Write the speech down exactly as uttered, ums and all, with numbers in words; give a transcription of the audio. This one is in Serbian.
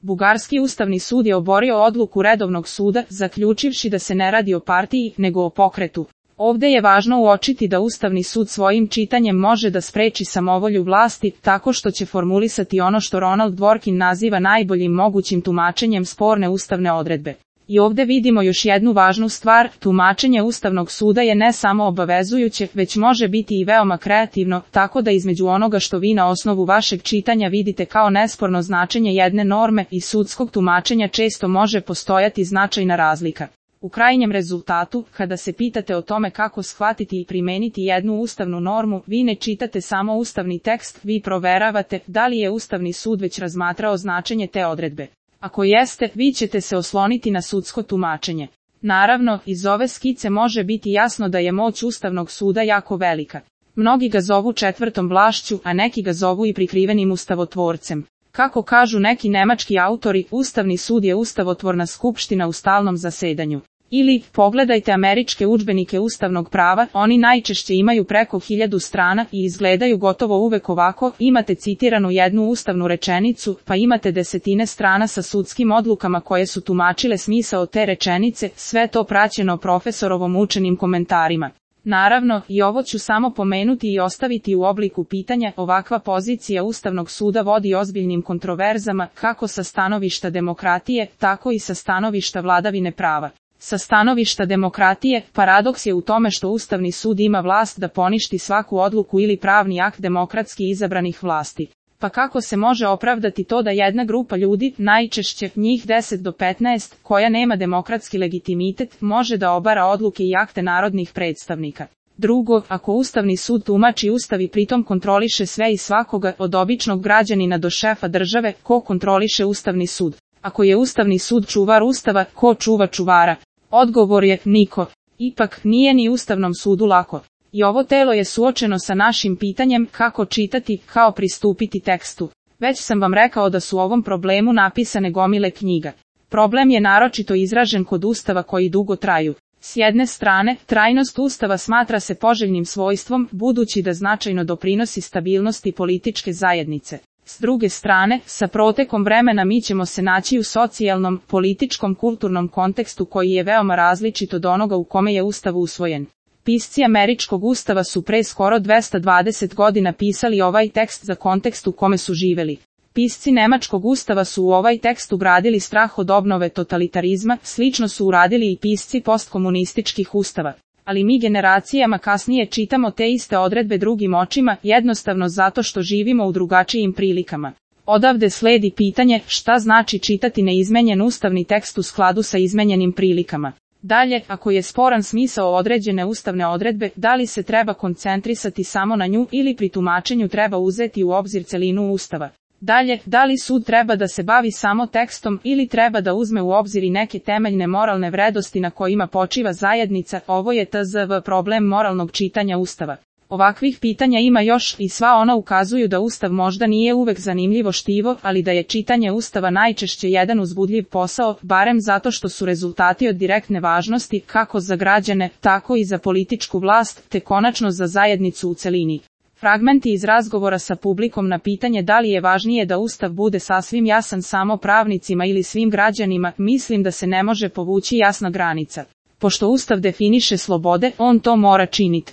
Bugarski ustavni sud je oborio odluku redovnog suda, zaključivši da se ne radi o partiji, nego o pokretu. Ovde je važno uočiti da Ustavni sud svojim čitanjem može da spreči samovolju vlasti, tako što će formulisati ono što Ronald Dworkin naziva najboljim mogućim tumačenjem sporne ustavne odredbe. I ovde vidimo još jednu važnu stvar, tumačenje Ustavnog suda je ne samo obavezujuće, već može biti i veoma kreativno, tako da između onoga što vi na osnovu vašeg čitanja vidite kao nesporno značenje jedne norme i sudskog tumačenja često može postojati značajna razlika. U krajnjem rezultatu, kada se pitate o tome kako shvatiti i primeniti jednu ustavnu normu, vi ne čitate samo ustavni tekst, vi proveravate da li je Ustavni sud već razmatrao značenje te odredbe. Ako jeste, vi ćete se osloniti na sudsko tumačenje. Naravno, iz ove skice može biti jasno da je moć Ustavnog suda jako velika. Mnogi ga zovu četvrtom vlašću, a neki ga zovu i prikrivenim ustavotvorcem. Kako kažu neki nemački autori, Ustavni sud je ustavotvorna skupština u stalnom zasedanju. Ili, pogledajte američke udžbenike ustavnog prava, oni najčešće imaju preko hiljadu strana i izgledaju gotovo uvek ovako, imate citiranu jednu ustavnu rečenicu, pa imate desetine strana sa sudskim odlukama koje su tumačile smisao te rečenice, sve to praćeno profesorovom učenim komentarima. Naravno, i ovo ću samo pomenuti i ostaviti u obliku pitanja, ovakva pozicija Ustavnog suda vodi ozbiljnim kontroverzama, kako sa stanovišta demokratije, tako i sa stanovišta vladavine prava. Sa stanovišta demokratije, paradoks je u tome što Ustavni sud ima vlast da poništi svaku odluku ili pravni akt demokratski izabranih vlasti. Pa kako se može opravdati to da jedna grupa ljudi, najčešće njih deset do petnaest, koja nema demokratski legitimitet, može da obara odluke i akte narodnih predstavnika? Drugo, ako Ustavni sud tumači Ustav i pritom kontroliše sve i svakoga, od običnog građanina do šefa države, ko kontroliše Ustavni sud? Ako je Ustavni sud čuvar Ustava, ko čuva čuvara? Odgovor je, niko. Ipak, nije ni Ustavnom sudu lako. I ovo telo je suočeno sa našim pitanjem kako čitati, kao pristupiti tekstu. Već sam vam rekao da su u ovom problemu napisane gomile knjiga. Problem je naročito izražen kod Ustava koji dugo traju. S jedne strane, trajnost Ustava smatra se poželjnim svojstvom, budući da značajno doprinosi stabilnosti političke zajednice. S druge strane, sa protekom vremena mi ćemo se naći u socijalnom, političkom, kulturnom kontekstu koji je veoma različit od onoga u kome je Ustav usvojen. Pisci američkog Ustava su pre skoro dvesta dvadeset godina pisali ovaj tekst za kontekst u kome su živeli. Pisci nemačkog Ustava su u ovaj tekst ugradili strah od obnove totalitarizma, slično su uradili i pisci postkomunističkih Ustava. Ali mi generacijama kasnije čitamo te iste odredbe drugim očima, jednostavno zato što živimo u drugačijim prilikama. Odavde sledi pitanje, šta znači čitati neizmenjen ustavni tekst u skladu sa izmenjenim prilikama. Dalje, ako je sporan smisao određene ustavne odredbe, da li se treba koncentrisati samo na nju ili pri tumačenju treba uzeti u obzir celinu Ustava. Dalje, da li sud treba da se bavi samo tekstom ili treba da uzme u obzir i neke temeljne moralne vrednosti na kojima počiva zajednica, ovo je tzv. Problem moralnog čitanja Ustava. Ovakvih pitanja ima još i sva ona ukazuju da Ustav možda nije uvek zanimljivo štivo, ali da je čitanje Ustava najčešće jedan uzbudljiv posao, barem zato što su rezultati od direktne važnosti, kako za građane, tako i za političku vlast, te konačno za zajednicu u celini. Fragmenti iz razgovora sa publikom na pitanje da li je važnije da Ustav bude sasvim jasan samo pravnicima ili svim građanima, mislim da se ne može povući jasna granica. Pošto Ustav definiše slobode, on to mora činiti.